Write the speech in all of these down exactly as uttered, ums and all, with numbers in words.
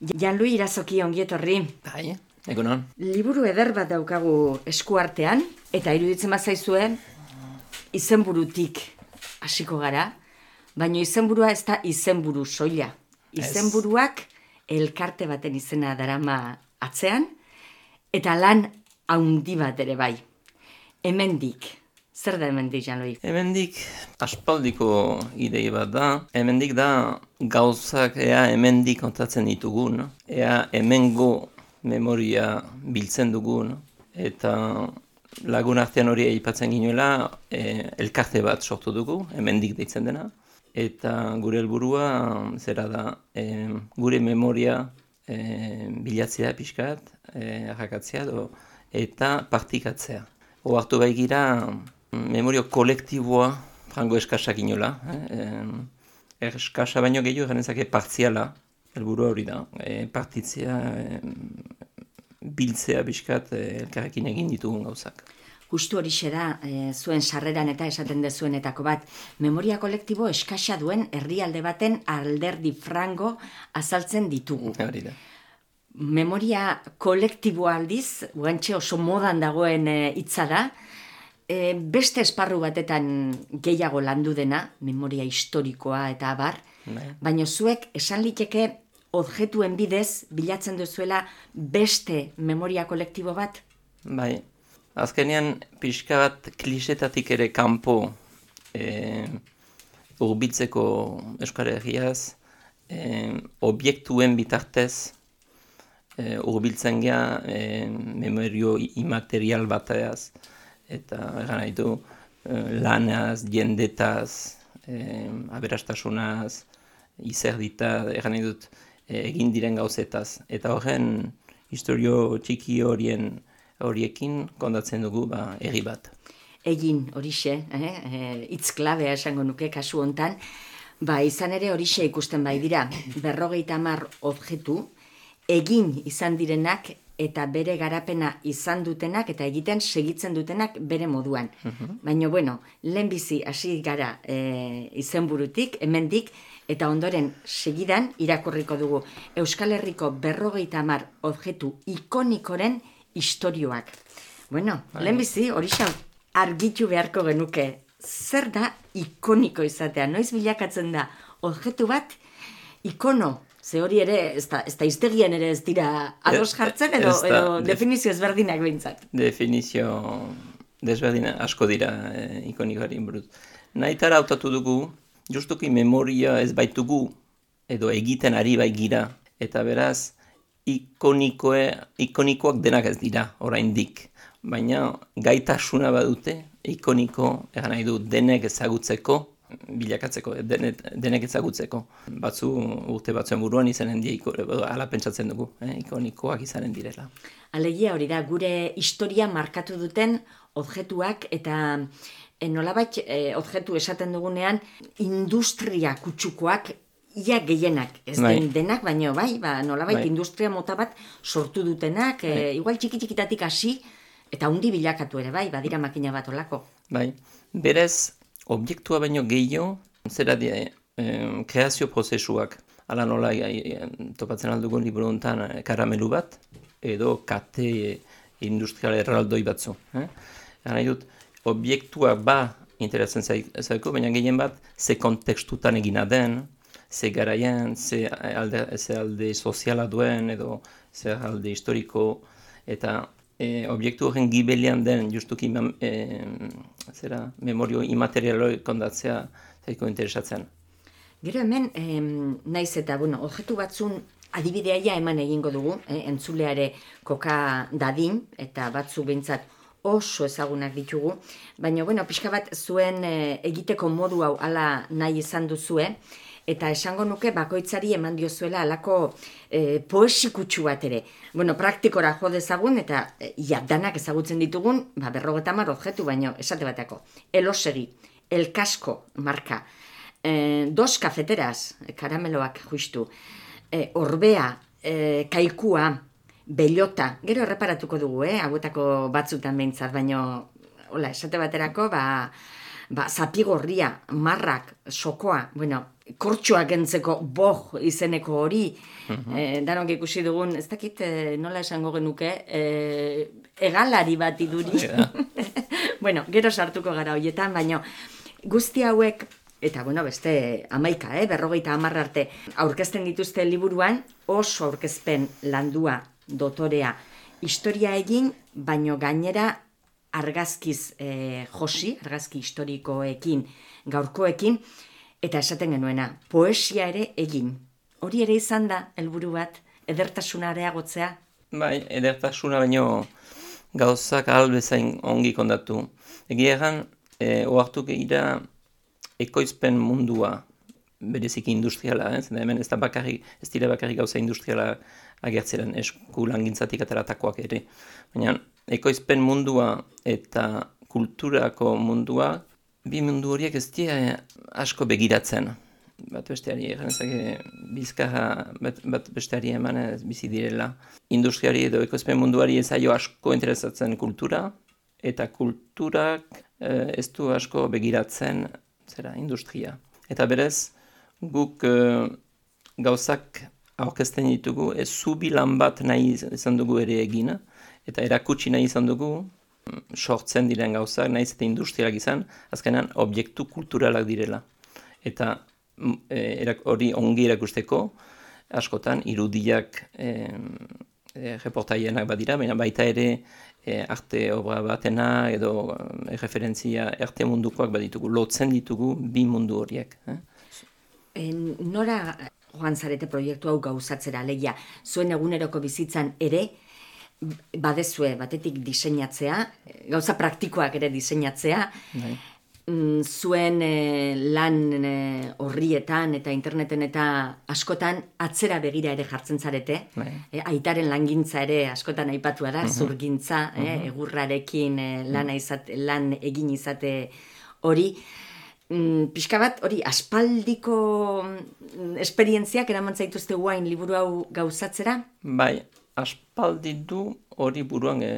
Janlui Irazoki ongietorri. Bai, egunon. Liburu eder bat daukagu eskuartean, eta iruditzen bazaizue izenburutik hasiko gara, baina izenburua ez da izenburu soila. Izenburuak elkarte baten izena darama atzean, eta lan haundi bat ere bai. Hemendik. Zer da hemendik, Janlui? Hemendik aspaldiko idei bat da. Hemendik da gauzak ea hemendik kontatzen ditugun, ea hemengo memoria biltzen dugun, eta lagun artean hori aipatzen ginuela e, elkarte bat sortu dugu, hemendik deitzen dena, eta gure helburua zera da e, gure memoria e, bilatzea pixkat, e, arrakatzea do, eta partikatzea. Oartu bai gira memorio kolektiboa frango eskasak inola. Eh? Eskasa baino gehiago genezake partziala, helburua hori da. E, partitzea, e, biltzea biskat e, elkarrekin egin ditugun gauzak. Justu horixe da, e, zuen sarreran eta esaten dezuenetako bat, memoria kolektibo eskasa duen herrialde baten alderdi frango azaltzen ditugu. Hori da. Memoria kolektiboa aldiz, guantxe oso modan dagoen hitza da, e, beste esparru batetan gehiago landu dena, memoria historikoa eta abar, Bai. baina zuek esan liteke objektuen bidez bilatzen duzuela beste memoria kolektibo bat? Bai, azkenean pixka bat klisetatik ere kanpo e, urbiltzeko Euskal Herriaz, e, objektuen bitartez e, urbiltzen gea e, memorio imaterial bateaz, eta egan nahi du e, lanaz, jendetaz, e, aberastasunaz, izerditaz, egan nahi dut e, egin diren gauzetaz. Eta horren historio txiki horien horiekin kondatzen dugu ba, herri bat. Egin horixe, eh? hitz klabea esango nuke kasu hontan, ba izan ere horixe ikusten bai dira, berrogeita hamar objektu, egin izan direnak eta bere garapena izan dutenak eta egiten segitzen dutenak bere moduan. Mhm. Baina, bueno, lehenbizi hasi gara e, izenburutik, hemendik, eta ondoren segidan irakurriko dugu Euskal Herriko berrogeita hamar objektu ikonikoren istorioak. Bueno, lehenbizi horixe argitu beharko genuke. Zer da ikoniko izatea? Noiz bilakatzen da objektu bat ikono? Ze hori ere, ez da, ez da iztegien ere ez dira ados jartzen, edo, da, edo def- definizio ezberdinak behintzat. Definizio desberdina asko dira e, ikonikoari buruz. Nahitara hautatu dugu, justuki memoria ez baitugu, edo egiten ari bai gira, eta beraz, ikonikoe, ikonikoak denak ez dira, oraindik. Baina gaitasuna badute, ikoniko, egan nahi du, denek ezagutzeko, bilakatzeko, denet, denek ezagutzeko. Batzu urte batzuen buruan izanen die, ala pentsatzen dugu, eh, ikonikoak izanen direla. Alegia hori da, gure historia markatu duten objektuak eta e, nolabait e, objektu esaten dugunean industria kutsukoak ia gehienak, ez Bai. den denak, baino bai, ba, nolabait Bai. industria mota bat sortu dutenak, e, igual txiki-txikitatik hasi, eta hundi bilakatu ere bai, badira makina bat olako. Bai, berez, objektua baino gehiago, zera die, eh, kreazio prozesuak, ala nola eh, topatzen aldugun liburu honetan eh, karamelu bat, edo kate industrial erraldoi batzu. Eh? Gana dut, objektua ba interesatzen zaiko, baina gehien bat, ze kontekstutan egina den, ze garaian, ze alde, ze alde soziala duen, edo ze alde historiko, eta E, objektu horren gibelian den justuki e, zera, memorio imaterialoi kondatzea zaiko interesatzen. Gero hemen, em, naiz eta, bueno, objektu batzun adibideaia eman egingo dugu, eh, entzuleare koka dadin, eta batzu behintzat oso ezagunak ditugu, baina, bueno, pixka bat zuen eh, egiteko modu hau ala nahi izan duzue, eta esango nuke bakoitzari eman diozuela alako e, poesikutsu bat ere. Bueno, praktikora jo dezagun eta e, ja, danak ezagutzen ditugun, ba, berrogeita hamar objektu, baino esate bateko. Elosegi, El Casco marka, e, dos kafeteras, karameloak justu, e, orbea, e, kaikua, bellota, gero erreparatuko dugu, eh, hauetako batzutan behintzat, baino, hola, esate baterako, ba, ba, zapigorria, marrak, sokoa, bueno, kortxoak entzeko boh izeneko hori, e, danok ikusi dugun, ez dakit nola esango genuke, e, egalari bat iduri. Bueno, gero sartuko gara horietan, baina guzti hauek, eta bueno, beste amaika, eh, berrogeita hamar arte, aurkezten dituzte liburuan, oso aurkezpen landua, dotorea, historia egin, baino gainera argazkiz eh, josi, argazki historikoekin, gaurkoekin, eta esaten genuena, poesia ere egin. Hori ere izan da, helburu bat, edertasuna areagotzea? Bai, edertasuna baino gauzak ahal bezain ongi kondatu. Egia egan, e, oartu gehiara ekoizpen mundua, bereziki industriala, eh? Zena hemen ez da bakarrik, ez dira bakarrik gauza industriala agertzeren esku langintzatik ateratakoak ere. Baina ekoizpen mundua eta kulturako mundua, bi mundu horiek ez dira asko begiratzen. Bat besteari, eganezake bizkarra bat, bat besteari eman ez bizi direla. Industriari edo ekoizpen munduari ez zaio asko interesatzen kultura, eta kulturak eh, ez du asko begiratzen zera industria. Eta berez, guk eh, gauzak aurkezten ditugu, ez zubi lan bat nahi izan dugu ere egin, eta erakutsi nahi izan dugu, sortzen diren gauzak, nahiz eta industrialak izan, azkenan objektu kulturalak direla. Eta hori ongi erakusteko, askotan irudiak e, e, reportaienak badira, baina baita ere e, arte obra batena edo e, referentzia arte mundukoak baditugu, lotzen ditugu bi mundu horiek. Eh? En, nora joan zarete proiektu hau gauzatzera, leia, zuen eguneroko bizitzan ere, badezue batetik diseinatzea, gauza praktikoak ere diseinatzea, Bai. Zuen e, lan e, horrietan eta interneten eta askotan atzera begira ere jartzen zarete. E, aitaren langintza ere askotan aipatua da, uh-huh. zurgintza, uh-huh. e, egurrarekin e, lan, izate, lan egin izate hori. Mm, pixka bat, hori, aspaldiko esperientziak eraman zaituzte guain liburu hau gauzatzera? Bai, aspaldi du hori buruan e...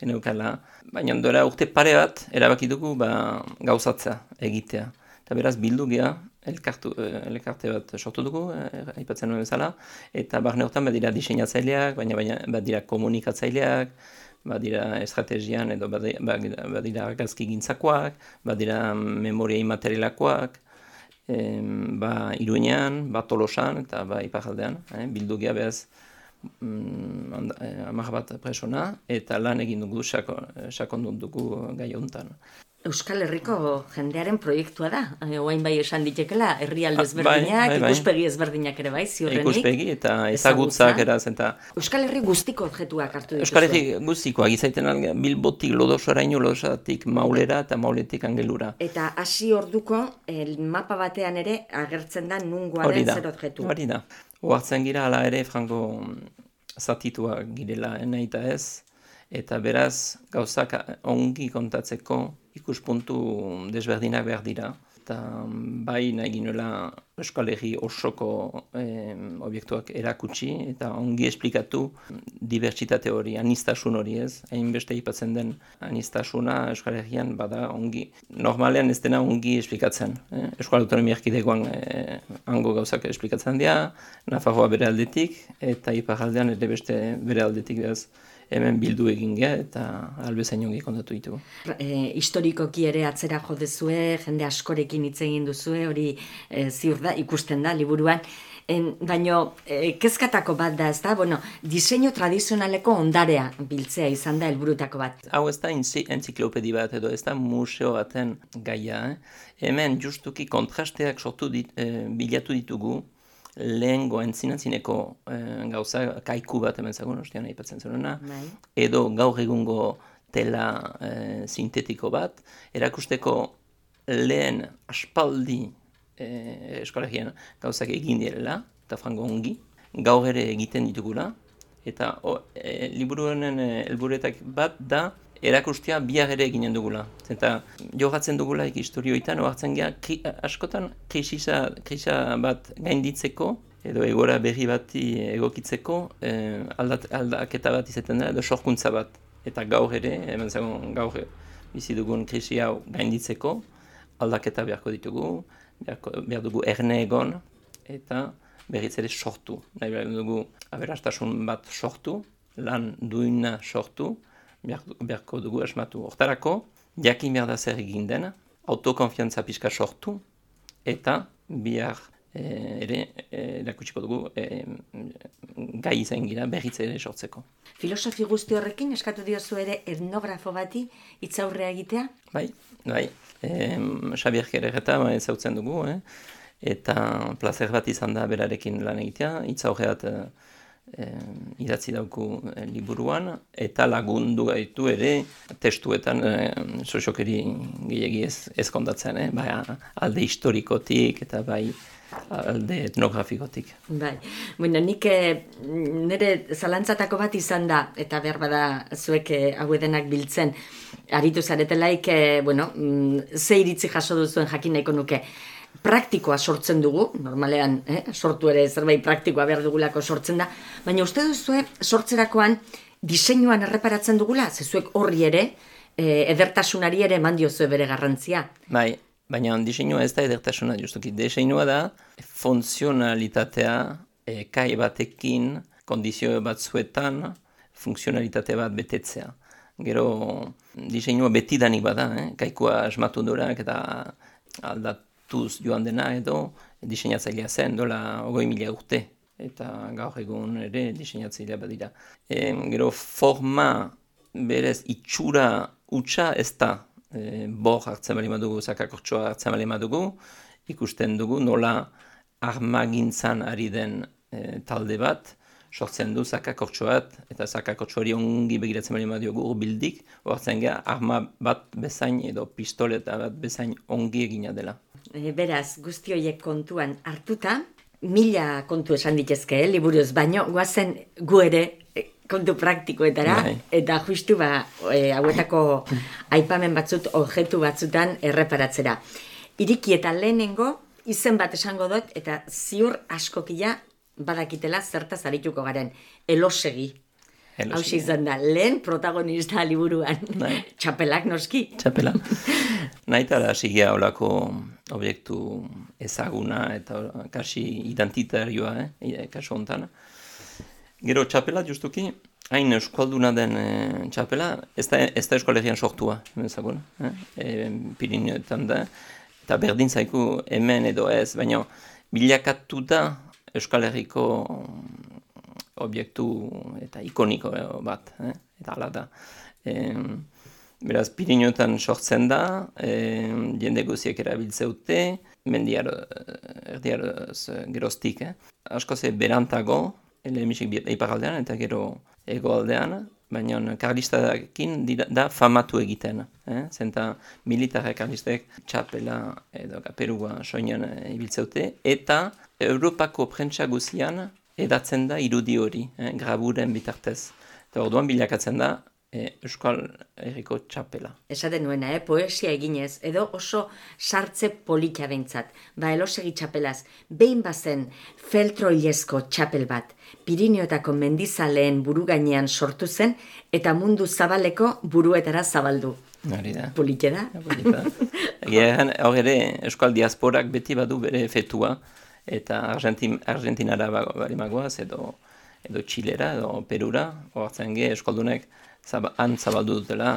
geneukala, baina dora urte pare bat erabaki dugu ba, gauzatza egitea. Eta beraz bildu geha, elkartu, elkarte bat sortu dugu, eh, aipatzen nuen bezala, eta barne hortan badira diseinatzaileak, baina, baina badira komunikatzaileak, badira estrategian edo badira, badira argazki gintzakoak, badira memoria imaterialakoak, eh, ba Iruñean, ba Tolosan eta ba Iparraldean, eh, bildu geha behaz, hamar bat presona, eta lan egin dugu, sakondun dugu gai hontan. Euskal Herriko jendearen proiektua da, oain bai esan ditekela, herrialde ezberdinak, bai, bai. Ikuspegi ezberdinak ere bai, ziurrenik. Ikuspegi eta ezagutzak eraz. Eta... Euskal Herri guztiko objektuak hartu dituzue. Euskal Herri guztikoak, izaiten Bilbotik Lodosoraino, Lodosatik Maulera eta Mauletik Angelura. Eta hasi orduko, el mapa batean ere agertzen da nungoaren zer objektu. Hori da, oartzen gira ala ere frango zatituak girela nahi eta ez, eta beraz gauzak ongi kontatzeko ikuspuntu desberdinak behar dira. Eta bai nahi ginuela Euskal Herri osoko eh, obiektuak erakutsi eta ongi esplikatu dibertsitate hori, anistasun hori ez. Hainbeste aipatzen den anistasuna Euskal Herrian bada ongi. Normalean ez dena ongi esplikatzen. Eh? Euskal Autonomia Erkidegoan eh, hango gauzak esplikatzen dira, Nafarroa bere aldetik eta Iparraldean ere beste bere aldetik behaz. Hemen bildu egin geha eta albezain ongi kontatu ditugu. E, historikoki ere atzera jo dezue, jende askorekin hitz egin duzue, hori e, ziur da, ikusten da, liburuan. En, baino, e, kezkatako bat da, ez da, bueno, diseinu tradizionaleko ondarea biltzea izan da helburutako bat. Hau ez da entziklopedi bat edo, ez da museo baten gaia. Eh? Hemen justuki kontrasteak sortu dit, e, bilatu ditugu, lehengo entzinatzineko eh, gauza, kaiku bat hemen zagun, ostean aipatzen zuena, edo gaur egungo tela eh, sintetiko bat, erakusteko lehen aspaldi eh, eskolegian gauzak egin direla, eta frango ongi, gaur ere egiten ditugula, eta oh, e, liburu honen helburuetak bat da, erakustea bihar ere eginen dugula. Eta jogatzen dugula historioetan, ohartzen geha, kri, askotan krisisa, krisa bat gainditzeko, edo egora berri bati egokitzeko, eh, aldat, aldaketa bat izaten da, edo sorkuntza bat. Eta gaur ere, hemen zagon gaur bizi dugun krisi hau gainditzeko, aldaketa beharko ditugu, behar dugu erne egon, eta berriz ere sortu. Nahi behar dugu aberastasun bat sortu, lan duina sortu, beharko dugu asmatu. Hortarako, jakin behar da zer egin dena, autokonfiantza pixka sortu, eta bihar eh, ere erakutsiko dugu eh, gai izan gira berriz ere sortzeko. Filosofi guzti horrekin eskatu diozu ere etnografo bati hitzaurrea egitea? Bai, bai. Eh, Xabier Kerereta ezautzen dugu, eh? Eta plazer bat izan da berarekin lan egitea, hitzaurreat eh, idatzi dauku eh, liburuan, eta lagundu gaitu ere testuetan eh, soziokeri gehiagi ez, ez kondatzen, eh? Bai, alde historikotik eta bai alde etnografikotik. Bai, bueno, nik eh, nire zalantzatako bat izan da, eta behar bada zuek eh, hau edenak biltzen, aritu zaretelaik, eh, bueno, mm, ze iritzi jaso duzuen jakin nahiko nuke. Praktikoa sortzen dugu, normalean eh, sortu ere zerbait praktikoa behar dugulako sortzen da, baina uste duzue sortzerakoan diseinuan erreparatzen dugula, zezuek horri ere, eh, edertasunari ere eman diozue bere garrantzia. Bai, baina diseinua ez da edertasuna justuki. Diseinua da funtzionalitatea eh, kai batekin, kondizio batzuetan, funtzionalitate bat betetzea. Gero diseinua betidanik bada, eh? Kaikua asmatu durak eta aldatu joan dena edo diseinatzailea zen, dola hogei mila urte, eta gaur egun ere diseinatzailea badira. E, gero forma berez itxura utxa ez da, e, bor hartzen bali madugu, zakakortsoa hartzen bali madugu, ikusten dugu nola armagintzan ari den e, talde bat, sortzen du zakakortsoat, eta zakakortso hori ongi begiratzen bali madiogu urbildik, hortzen geha arma bat bezain edo pistoleta bat bezain ongi egina dela. Beraz, guzti horiek kontuan hartuta, mila kontu esan ditezke, eh, liburuz, baino, guazen gu ere kontu praktikoetara, Bai. eta justu ba, e, hauetako aipamen batzut, objektu batzutan erreparatzera. Iriki eta lehenengo, izen bat esango dut, eta ziur askokila badakitela zertaz arituko garen, elosegi. Hau izan da, lehen protagonista liburuan, Bai. Txapelak noski. Txapela. Naitara sigia olako objektu ezaguna eta kasi identitarioa, eh, kasu hontan. Gero txapela justuki, hain euskalduna den e, txapela, ez da, ez da Euskal Herrian sortua, ezagun, eh? E, Pirineoetan da, eta berdin zaiku hemen edo ez, baina bilakatu da Euskal Herriko objektu eta ikoniko bat, eh? Eta hala da. E, beraz, Pirineoetan sortzen da, e, jende guziek erabiltzeute, mendiar, erdiar geroztik, eh? Asko ze berantago, lehemisik iparaldean eta gero hegoaldean, baina karlistakin da famatu egiten. Eh? Zenta militarek karlistek txapela edo kaperua soinean ibiltzeute, eta Europako prentsa guzian edatzen da irudi hori, eh? Graburen bitartez. Eta orduan bilakatzen da E, Euskal Herriko txapela. Esaten nuena, eh? Poesia eginez, edo oso sartze polita behintzat. Ba, elosegi txapelaz, behin bazen feltroilezko txapel bat, Pirineoetako mendizaleen buru gainean sortu zen, eta mundu zabaleko buruetara zabaldu. Hori da. Polite da? Polita. Egeran, hor ere, Euskal Diasporak beti badu bere fetua, eta Argentin, Argentinara bali magoaz, edo, edo Txilera, edo Perura, hortzen ge, Euskaldunek, Zaba, han zabaldu dutela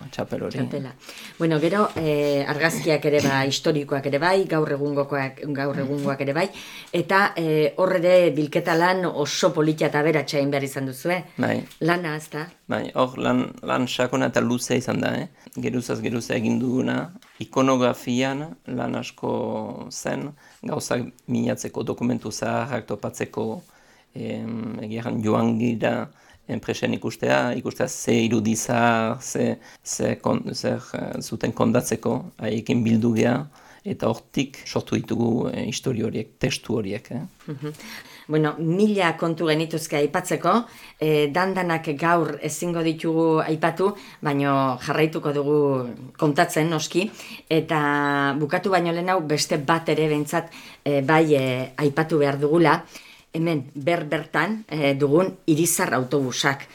txapel hori. Txapela. Bueno, gero eh, argazkiak ere bai, historikoak ere bai, gaur egungokoak, gaur egungoak ere bai, eta eh, hor ere bilketa lan oso politia eta beratxa egin behar izan duzu, eh? Bai. Lana, ez da? Bai, hor lan, lan sakona eta luze izan da, eh? Geruzaz geruza egin duguna, ikonografian lan asko zen, gauzak minatzeko, dokumentu zaharrak topatzeko, em, egiaren joan gira, enpresen ikustea, ikustea ze irudizar, ze, ze, kon, zer zuten kondatzeko, haiekin bildu geha, eta hortik sortu ditugu e, histori horiek, testu horiek. Eh? Mm-hmm. Bueno, mila kontu genituzke aipatzeko, e, dandanak gaur ezingo ditugu aipatu, baino jarraituko dugu kontatzen noski, eta bukatu baino lehen hau beste bat ere behintzat e, bai e, aipatu behar dugula, hemen ber-bertan eh, dugun irizar autobusak.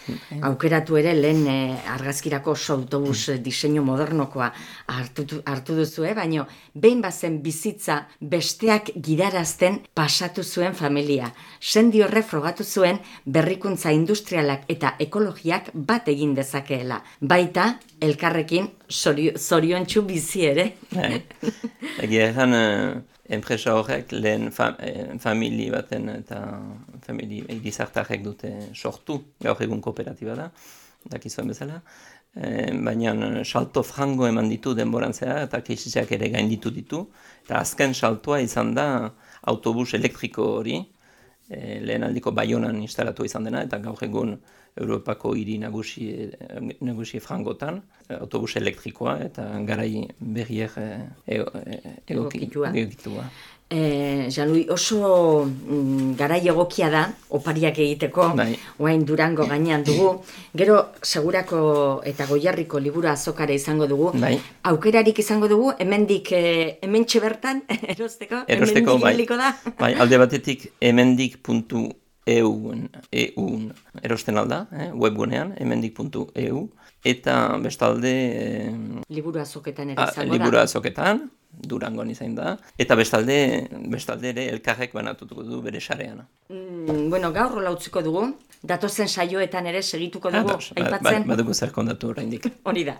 Aukeratu ere lehen eh, argazkirako oso autobus eh, diseinu modernokoa hartu, hartu duzue, baino behin bazen bizitza besteak gidarazten pasatu zuen familia. Sendi horre frogatu zuen berrikuntza industrialak eta ekologiak bat egin dezakeela. Baita, elkarrekin zoriontsu bizi ere. Egia egan, enpresa horrek lehen fa, eh, famili baten eta famili irizartarrek dute sortu, gaur egun kooperatiba da, dakizuen bezala, e, baina salto frango eman ditu denboran zehar eta krisiak ere gainditu ditu, eta azken saltoa izan da autobus elektriko hori, e, lehen aldiko Baionan instalatu izan dena, eta gaur egun Europako hiri nagusi, nagusi frangotan, autobus elektrikoa eta garai berriek e, e, egokitua. egokitua. E, Jean-Louis, oso mm, garai egokia da, opariak egiteko, bai. Oain Durango gainean dugu, gero segurako eta Goierriko liburu azokara izango dugu, bai. Aukerarik izango dugu, hemendik e, hementxe bertan, erosteko, erosteko hemendik bai. ibiliko da. Bai, alde batetik hemendik puntu eun, eun erosten alda, eh, webgunean, hemendik puntu e u, eta bestalde... Eh, liburu azoketan ere izango da. Liburu azoketan, Durangon izan da, eta bestalde, bestalde ere elkarrek banatutuko du bere sarean. Mm, bueno, gaur rola utziko dugu, datozen saioetan ere segituko dugu, Ah, aipatzen. Badugu zer kondatu oraindik. Hori da.